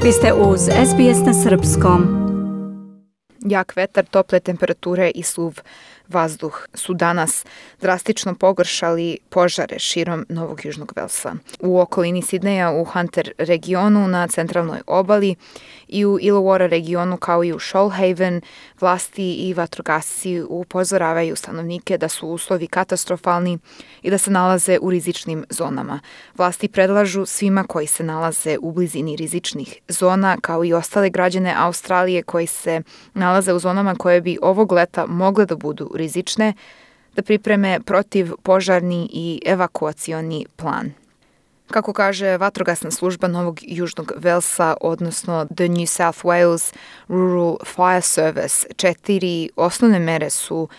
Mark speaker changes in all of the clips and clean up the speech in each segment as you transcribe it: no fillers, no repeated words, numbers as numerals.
Speaker 1: Vi ste uz SBS na srpskom.
Speaker 2: Jak vetar, tople temperature i suv vazduh su danas drastično pogoršali požare širom Novog Južnog Velsa. U okolini Sidneja, u Hunter regionu na centralnoj obali i u Illawarra regionu kao i u Shoalhaven, vlasti i vatrogasci upozoravaju stanovnike da su uslovi katastrofalni i da se nalaze u rizičnim zonama. Vlasti predlažu svima koji se nalaze u blizini rizičnih zona, kao i ostale građane Australije koji se nalaze u zonama koje bi ovog leta mogle da budu rizične, da pripreme protivpožarni i evakuacioni plan. Kako kaže vatrogasna služba Novog Južnog Velsa, odnosno The New South Wales Rural Fire Service, 4 osnovne mere su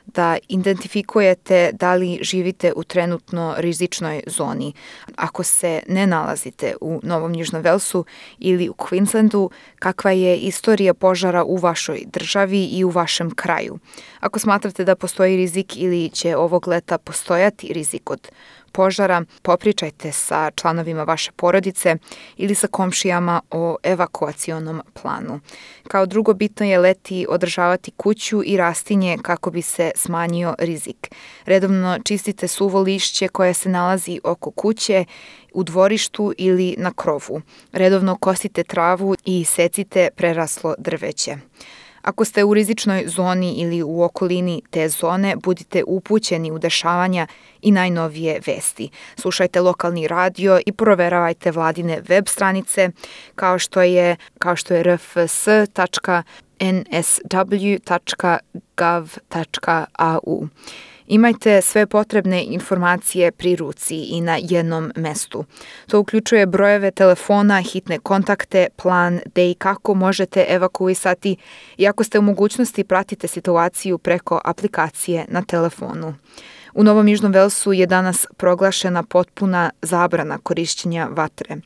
Speaker 2: da identifikujete da li živite u trenutno rizičnoj zoni. Ako se ne nalazite u Novom Južnom Velsu ili u Queenslandu, kakva je istorija požara u vašoj državi i u vašem kraju. Ako smatrate da postoji rizik ili će ovog leta postojati rizik od požara, popričajte sa članovima vaše porodice ili sa komšijama o evakuacionom planu. Kao drugo, bitno je leti održavati kuću i rastinje kako bi se smanjio rizik. Redovno čistite suvo lišće koje se nalazi oko kuće, u dvorištu ili na krovu. Redovno kosite travu i secite preraslo drveće. Ako ste u rizičnoj zoni ili u okolini te zone, budite upućeni u dešavanja i najnovije vesti. Slušajte lokalni radio i proveravajte vladine web stranice kao što je rfs.nsw.gov.au. Imajte sve potrebne informacije pri ruci i na jednom mestu. To uključuje brojeve telefona, hitne kontakte, plan gde i kako možete evakuisati i ako ste u mogućnosti pratite situaciju preko aplikacije na telefonu. U Novom Južnom Velsu je danas proglašena potpuna zabrana korišćenja vatre.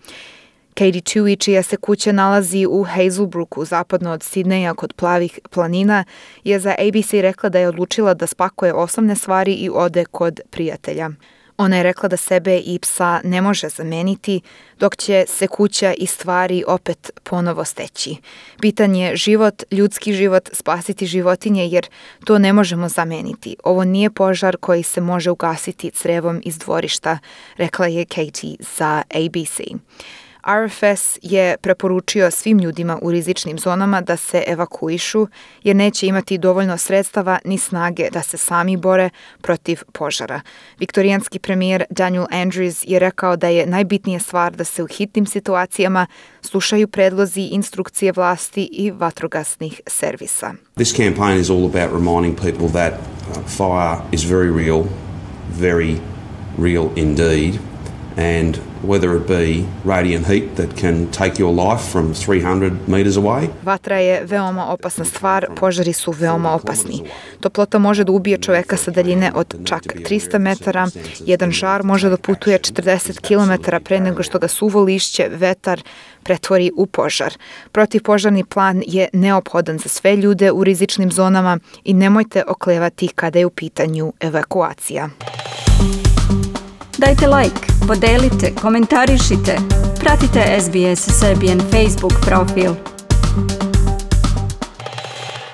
Speaker 2: Katie Tui, čija se kuća nalazi u Hazelbrooku, zapadno od Sidneja kod Plavih planina, je za ABC rekla da je odlučila da spakuje osnovne stvari i ode kod prijatelja. Ona je rekla da sebe i psa ne može zameniti, dok će se kuća i stvari opet ponovo steći. Bitan je život, ljudski život, spasiti životinje jer to ne možemo zameniti. Ovo nije požar koji se može ugasiti crevom iz dvorišta, rekla je Katie za ABC. RFS je preporučio svim ljudima u rizičnim zonama da se evakuišu jer neće imati dovoljno sredstava ni snage da se sami bore protiv požara. Viktorijanski premijer Daniel Andrews je rekao da je najbitnija stvar da se u hitnim situacijama slušaju predlozi, instrukcije vlasti i vatrogasnih servisa.
Speaker 3: This campaign is all about reminding people that fire is very real indeed. And whether it be radiant heat that can take your life from 300 meters away.
Speaker 2: Vatra je veoma opasna stvar, požari su veoma opasni. Toplota može da ubije čoveka sa daljine od čak 300 metara, jedan žar može da putuje 40 km pre nego što ga suvo lišće, vetar pretvori u požar. Protivpožarni plan je neophodan za sve ljude u rizičnim zonama i nemojte oklevati kada je u pitanju evakuacija.
Speaker 1: Dajte like, podelite, komentarišite, pratite SBS Serbian Facebook profil.